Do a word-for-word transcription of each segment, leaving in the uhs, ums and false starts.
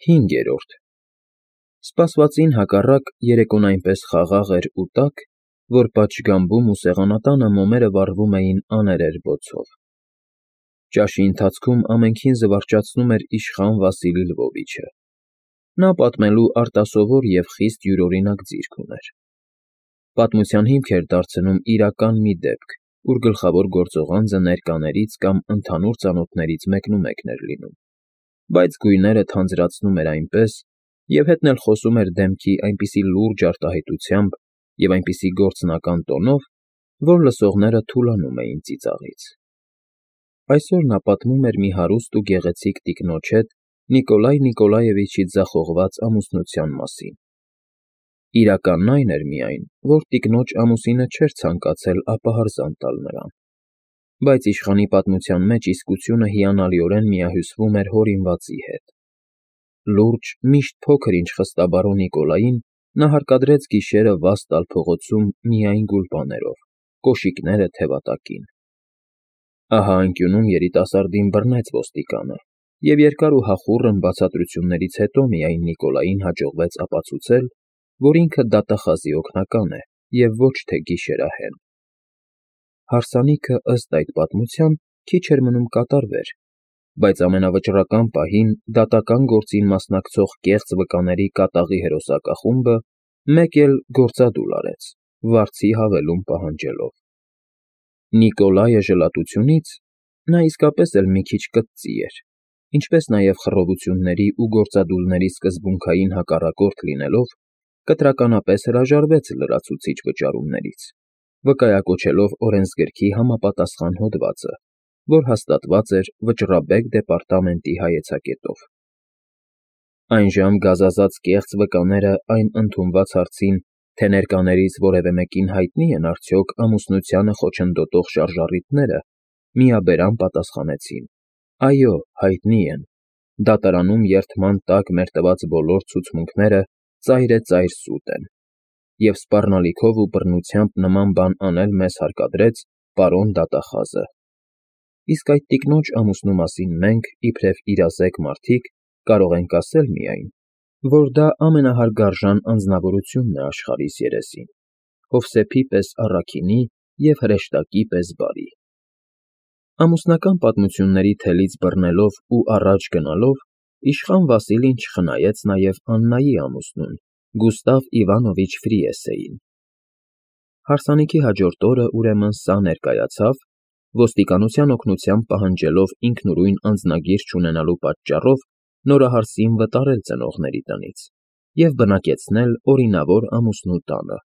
Հինգերորդ Սպասվածին հակառակ, երեկոն այնպես խաղաղ էր ու տաք, որ պատշգամբում ու սեղանատանը մոմերը վառվում էին աներևի բոցով։ Ճաշի ընթացքում ամենքին զվարճացնում էր իշխան Վասիլի Լվովիչը. նա պատմելու արտասովոր և խիստ յուրօրինակ ձիրք ուներ. պատմության հիմք էր դարձնում իրական մի դեպք, ուր գլխավոր գործողանձը ներկաներից կամ ընդհանուր ծանոթներից մեկնումեկն էր լինում, բայց գույները թանձրացնում էր այնպես և հետն էլ խոսում էր դեմքի այնպիսի լուրջ արտահայտությամբ և այնպիսի գործնական տոնով, որ լսողները թուլանում էին ծիծաղից։ Այսօր նա պատմում էր մի հարուստ ու գեղեցիկ տիկնոջ հետ Նիկոլայ Նիկոլաևիչի ձախողված ամուսնության մասին։ Իրականն այն էր միայն, որ տիկնոջ ամուսինը չէր ցանկացել ապահարզան տալ նրան, բայց իշխանի պատմության մեջ իսկությունը հիանալիորեն միահյուսվում էր հորինվածի հետ։ Լուրջ, միշտ փոքր-ինչ խստաբարո Նիկոլային նա հարկադրեց գիշերը վազ տալ փողոցում միայն գուլպաներով, կոշիկները թևատակին։ Ահա անկյունում երիտասարդին բռնեց ոստիկանը, և երկար ու հախուռն բացատրություններից հետո միայն Նիկոլային հաջողվեց ապացուցել, որ ինքը դատախազի օգնական է և ոչ թե գիշերահեն։ Հարսանիքը, ըստ այդ պատմության, քիչ էր մնում կատարվեր, բայց ամենավճռական պահին դատական գործին մասնակցող կեղծ վկաների կատաղի հերոսակախումբը մեկ էլ գործադուլ արեց, վարձի հավելում պահանջելով։ Նիկոլայը ժլատությունից (նա իսկապես էլ մի քիչ կծծի էր), ինչպես նաև խռովությունների ու գործադուլների սկզբունքային հակառակորդ լինելով, կտրականապես հրաժարվեց լրացուցիչ վճարումներից, վկայակոչելով օրենսգրքի համապատասխան հոդվածը, որ հաստատված էր Վճռաբեկ դեպարտամենտի հայեցակետով։ Այնժամ գազազած կեղծ վկաները այն ընդունված հարցին, թե ներկաներից որևէ մեկին հայտնի են արդյոք ամուսնությանը խոչընդոտող շարժառիթները, միաբերան պատասխանեցին. այո, հայտնի են, դատարանում երդման տակ մեր տված բոլոր ցուցմունքները ծայրեծայր սուտ են, և սպառնալիքով ու բռնությամբ նման բան անել մեզ հարկադրեց պարոն դատախազը։ Իսկ այդ տիկնոջ ամուսնու մասին մենք, իբրև իրազեկ մարդիկ, կարող ենք ասել միայն, որ դա ամենահարգարժան անձնավորությունն է աշխարհիս երեսին, Հովսեփի պես առաքինի և հրեշտակի պես բարի։ Ամուսնական պատմությունների թելից բռնելով ու առաջ գնալով, իշխան Վասիլին չխնայեց նաև Աննայի ամուսնուն, Գուստավ Իվանովիչ Ֆրիեսեին։ Հարսանիքի հաջորդ օրը, ուրեմն, սա ներկայացավ, ոստիկանության օգնությամբ պահանջելով ինքնուրույն անձնագիր չունենալու պատճառով նորահարսին վտարել ծնողների տնից և բնակեցնել օրինավոր ամուսնու տանը։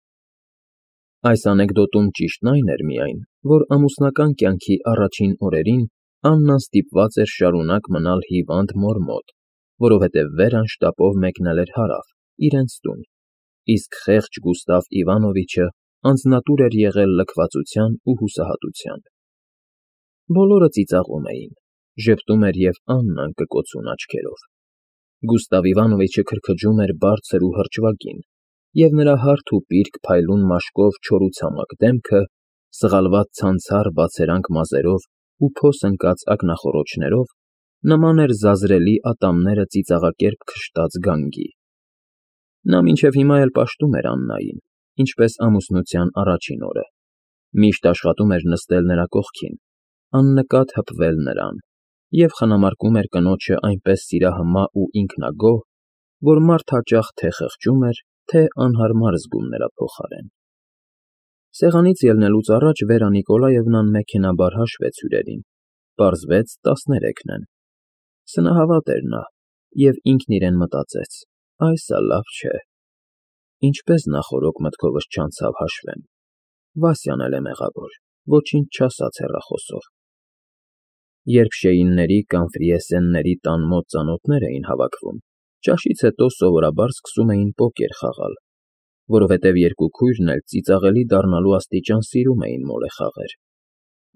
Այս անեկդոտում ճիշտն այն էր միայն, որ ամուսնական կյանքի առաջին օրերին Աննան ստիպված էր շարունակ մնալ հիվանդ մոր մոտ, որովհետև Վերան շտապով մեկնել էր հարավ, իրենց տուն, իսկ խեղճ Գուստավ Իվանովիչը անձնատուր էր եղել լքվածության ու հուսահատության։ Բոլորը ծիծաղում էին, ժպտում էր և Աննան կկոցուն աչքերով։ Գուստավ Իվանովիչը քրքջում էր բարձր ու հրճվագին, և նրա հարթ ու պիրկ փայլուն մաշկով չորացամաք դեմքը, սղալված ցանցառ բացերանք մազերով ու փոս ընկած ակնախոռոչներով նման էր զազրելի ատամները ծիծաղակերպ քշտած գանգի։ Նա մինչև հիմա էլ պաշտում էր Աննային, ինչպես ամուսնության առաջին օրը, միշտ աշխատում էր նստել նրա կողքին, աննկատ հպվել նրան և խնամարկում էր կնոջը այնպես սիրահմա ու ինքնագոհ, որ մարդ հաճախ թե խղճում էր, թե անհարմար զգում նրա փոխարեն։ Սեղանից ելնելուց առաջ Վերա Նիկոլաևնան մեքենայաբար հաշվեց հյուրերին, պարզվեց տասներեքն են։ Սնահավատ էր նա, և ինքն իրեն մտածեց. այս ա լավ չէ։ Ինչպես նախօրոք մտքովս չանցավ հաշվեմ, Վասյան էլ է մեղավոր, ոչինչ չասաց հեռախոսով։ Երբ Շեյինների կամ Ֆրիեսենների տան մոտ ծանոթներ էին հավաքվում, ճաշից հետո սովորաբար սկսում էին պոկեր խաղալ, որովհետև երկու քույրն էլ ծիծաղելի դառնալու աստիճան սիրում էին մոլեխաղեր։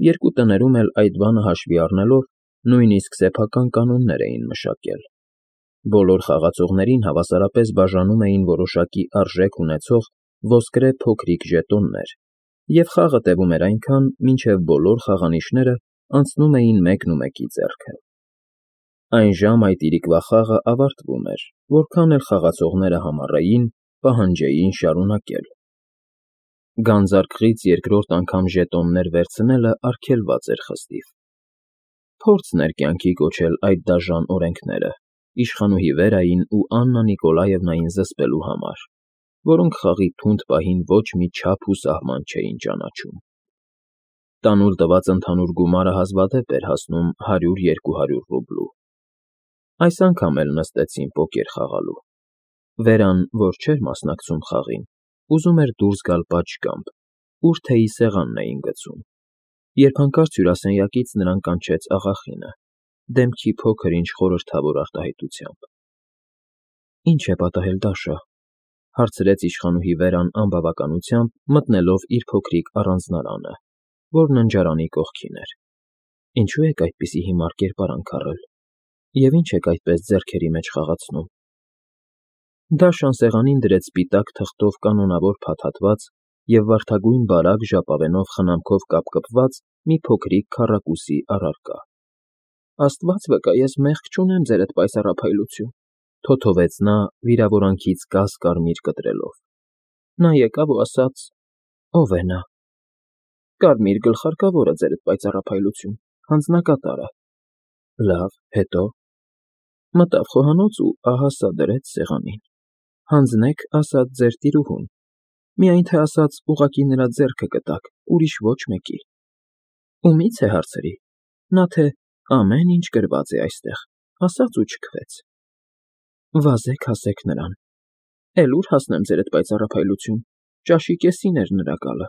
Երկու տներում էլ այդ բանը հաշվի առնելով նույնիսկ սեփական կանոններ էին մշակել։ Բոլոր խաղացողներին հավասարապես բաժանում էին որոշակի արժեք ունեցող ոսկրե փոքրիկ ժետոններ, և խաղը տևում էր այնքան, մինչև բոլոր խաղանիշները անցնում էին մեկն ու մեկի ձեռքը։ Այն ժամ այդ իրիկվա խաղը ավարտվում էր, որքան էլ խաղացողները համառեին, պահանջեին շարունակել։ Գանձարկղից երկրորդ անգամ ժետոններ վերցնելը արգելված էր խստիվ։ Փորձն էր կյանքի կոչել այդ դաժան օրենքները, իշխանուհի Վերային ու Աննա Նիկոլաևնային զսպելու համար, որոնք խաղի թունդ պահին ոչ մի չափ ու սահման չէին ճանաչում։ Տանուլ տված ընդհանուր գումարը հազվադեպ էր հասնում հարյուր֊երկու հարյուր ռուբլու։ Այս անգամ էլ նստեցին պոկեր խաղալու։ Վերան, որ չէր մասնակցում խաղին, ուզում էր դուրս գալ պատշգամբ, ուր թեյի սեղանն էին գցում, երբ հանկարծ հյուրասենյակից նրան կանչեց աղախինը, դեմքի փոքր-ինչ խորհրդավոր արտահայտությամբ։ ֊ Ի՞նչ է պատահել, Դաշա,֊ հարցրեց իշխանուհի Վերան անբավականությամբ, մտնելով իր փոքրիկ առանձնարանը, որ ննջարանի կողքին էր։ ֊ Ինչո՞ւ եք այդպիսի հիմար կերպարանք առել, և ի՞նչ եք այդպես ձեռքերի մեջ խաղացնում։ Դաշան սեղանին դրեց սպիտակ թղթով կանոնավոր փաթաթված և վարդագույն բարակ ժապավենով խնամքով կապկպված մի փոքրիկ քառակուսի առարկա։ ֊ Աստված վկա, ես մեղք չունեմ, ձերդ պայծառափայլություն,֊ թոթովեց նա՝ վիրավորանքից կաս կարմիր կտրելով։ Նա եկավ ու ասաց. ով է նա։ ֊ Կարմիր գլխարկավորը, ձերդ պայծառափայլություն, հանձնակատարը։ ֊ Լավ, հետո։ ֊ Մտավ խոհանոց ու ահա սա դրեց սեղանին։ Հանձնեք, ասաց ձեր տիրուհուն, միայն թե ասաց ուղղակի նրա ձեռքը կտաք, ուրիշ ոչ մեկի։ Ումի՞ց է, հարցրի։ Նա թե ամեն ինչ գրված է այստեղ, ասաց ու չքվեց։ Վազեք, հասեք նրան։ Էլ ուր հասնեմ, ձերդ պայծառափայլություն, ճաշի կեսին էր նրա գալը,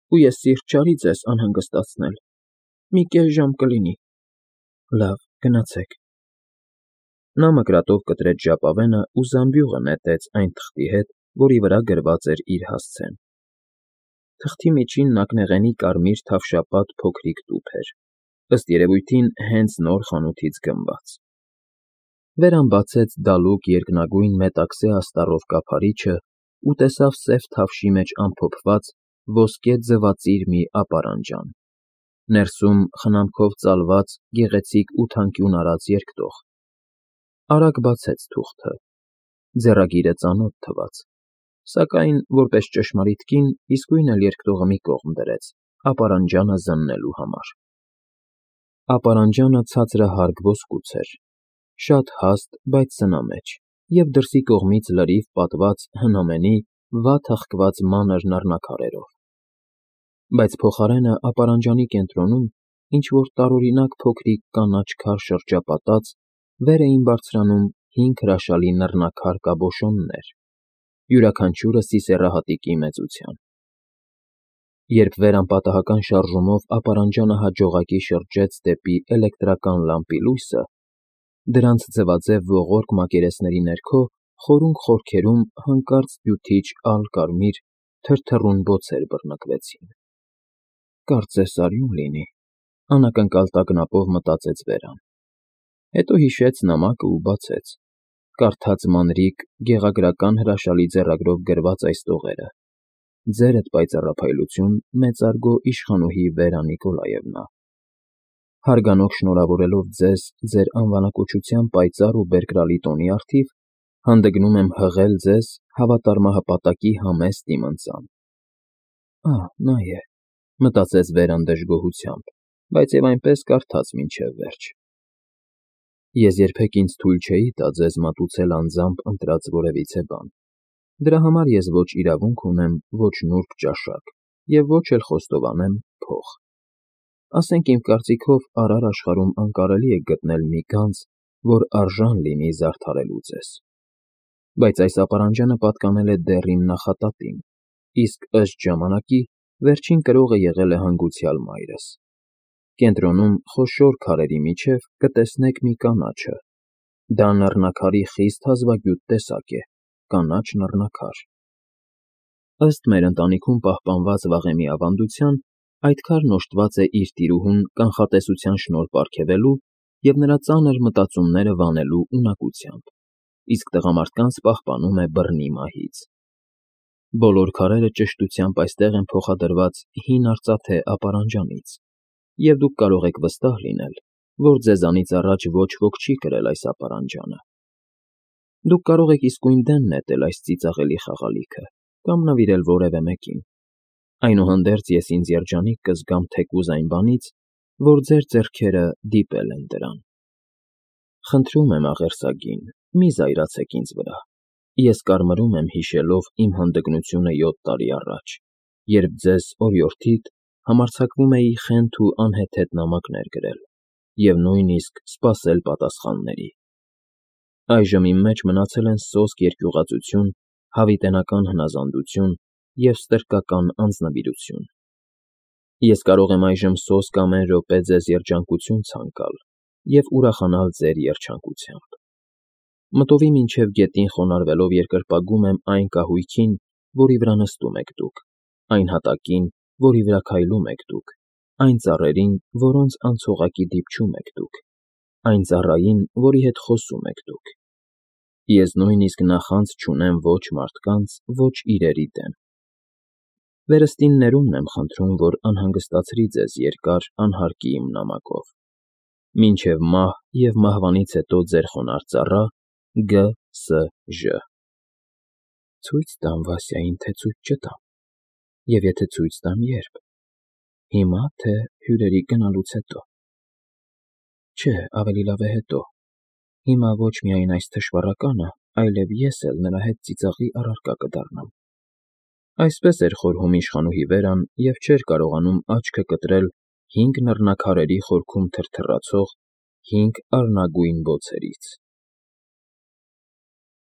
ու ես սիրտ չարի ձեզ անհանգստացնել, մի կես ժամ կլինի։ Լավ, գնացեք։ Նա մկրատով կտրեց ժապավենը ու զամբյուղը նետեց այն թղթի հետ, որի վրա գրված էր իր հասցեն։ Թղթի միջին նկնեղենի կարմիր թավշապատ փոքրիկ տուփ էր, ըստ երևույթին հենց նոր խանութից գնված։ Վերան բացեց դալուկ երկնագույն մետաքսե աստառով կափարիչը ու տեսավ սև թավշի մեջ ամփոփված ոսկե ձվածիր մի ապարանջան, ներսում խնամքով ծալված գեղեցիկ ու թանկյուն արած երկտող։ Արագ բացեց թուղթը։ Ձեռագիրը ծանոթ թվաց, սակայն, որպես ճշմարիտ կին, իսկույն էլ երկտողը մի կողմ դրեց, ապարանջանը զննելու համար։ Ապարանջանը ցածրահարկ ոսկուց էր, շատ հաստ, բայց սնամեջ, և դրսի կողմից լրիվ պատված հնամենի վատ հղկված մանր նռնաքարերով։ Բայց փոխարենը ապարանջանի կենտրոնում ինչ֊որ տարօրինակ փոքրիկ կանաչ քար շրջապատած վեր էին բարձրանում հինգ հրաշալի նռնաքար կաբոշոններ, յուրաքանչյուրը սիսեռահատիկի մեծության։ Երբ Վերան պատահական շարժումով ապարանջանը հաջողակի շրջեց դեպի էլեկտրական լամպի լույսը, դրանց ձվաձև ողորկ մակերեսների ներքո խորունկ խորքերում հանկարծ հյութիչ ալ֊կարմիր թրթռուն բոցեր բռնկվեցին։ Կարծես արյուն լինի, անակնկալ տագնապով մտածեց Վերան։ Հետո հիշեց նամակը ու բացեց, կարդաց մանրիկ, գեղագրական հրաշալի ձեռագրով գրված այս տողերը. Ձերդ պայծառափայլություն, մեծարգո իշխանուհի Վերա Նիկոլաևնա։ Հարգանող շնորհավորելով ձեզ ձեր անվանակոչության պայծառ ու բերկրալի տոնի առթիվ, հանդգնում եմ հղել ձեզ հավատարմահպատակի համեստ իմ ընծան։ Ահ, նա է, մտածեց Վերան դժգոհությամբ, բայց և այնպես կարդաց մինչև վերջ։ Ես երբեք ինձ թույլ չէի տա ձեզ մատուցել անձամբ ընտրած որևիցե բան, դրա համար ես ոչ իրավունք ունեմ, ոչ նուրբ ճաշակ և ոչ էլ խոստովանեմ փող։ Ասենք իմ կարծիքով արար աշխարհում անկարելի է գտնել մի գանձ, որ արժան լինի զարդարելու ձեզ։ Բայց այս ապարանջանը պատկանել է դեռ իմ նախատատին, իսկ ըստ ժամանակի վերջին կրողը եղել է հանգուցյալ մայրս։ Կենտրոնում խոշոր քարերի միջև կտեսնեք մի կանաչը։ Դա նռնաքարի խիստ հազվագյուտ տեսակ է, կանաչ նռնաքար։ Ըստ մեր ընտանիքում պահպանված վաղեմի ավանդության, այդ քարն օժտված է իր տիրուհուն կանխատեսության շնորհ պարգևելու և նրա ծանր մտածումները վանելու ունակությամբ, իսկ տղամարդկանց պահպանում է բռնի մահից։ Բոլոր քարերը ճշտությամբ այստեղ են փոխադրված հին արծաթե ապարանջանից, և դուք կարող եք վստահ լինել, որ ձեզանից առաջ ոչ ոք չի կրել այս ապարանջանը։ Դուք կարող եք իսկույն դեն նետել այս ծիծաղելի խաղալիքը կամ նվիրել որևէ մեկին, այնուհանդերձ ես ինձ երջանիկ կզգամ թեկուզ այն բանից, որ ձեր ձեռքերը դիպել են դրան։ Խնդրում եմ, աղերսագին, մի զայրացեք ինձ վրա, ես կարմրում եմ հիշելով իմ հանդգնությունը յոթ տարի առաջ, երբ ձեզ օրիորդիդ համարձակվում էի խենթ ու անհեթեթ նամակներ գրել և նույնիսկ սպասել պատասխանների։ Այժմ իմ մեջ մնացել են սոսկ երկյուղածություն, հավիտենական հնազանդություն և ստրկական անձնվիրություն։ Ես կարող եմ այժմ սոսկ ամեն րոպե ձեզ երջանկություն ցանկալ և ուրախանալ ձեր երջանկությամբ։ Մտովի մինչև գետին խոնարհվելով երկրպագում եմ այն կահույքին, որի վրա նստում եք դուք, այն հատակին, որի վրա քայլում եք դուք, այն ծառերին, որոնց անցողակի դիպչում եք դուք, այն ծառային, որի հետ խոսում եք դուք։ Ես նույնիսկ նախանձ չունեմ ոչ մարդկանց, ոչ իրերի դեմ։ Վերստին ներումն եմ խնդրում, որ անհանգստացրի ձեզ երկար անհարկի իմ նամակով։ Մինչև մահ և մահվանից հետո ձեր խոնարհ ծառա Գ. Ս. Ժ. Ցույց տամ Վասյային, թե ցույց չտամ, և եթե ցույց տամ, ե՞րբ, հիմա, թե հյուրերի գնալուց հետո։ Չէ, ավելի լավ է հետո, հիմա ոչ միայն այս թշվառականը, այլև ես էլ նրա հետ ծիծաղի առարկա կդառնամ։ Այսպես էր խորհում իշխանուհի Վերան և չէր կարողանում աչքը կտրել հինգ նռնաքարերի խորքում թրթռացող հինգ առնագույն բոցերից։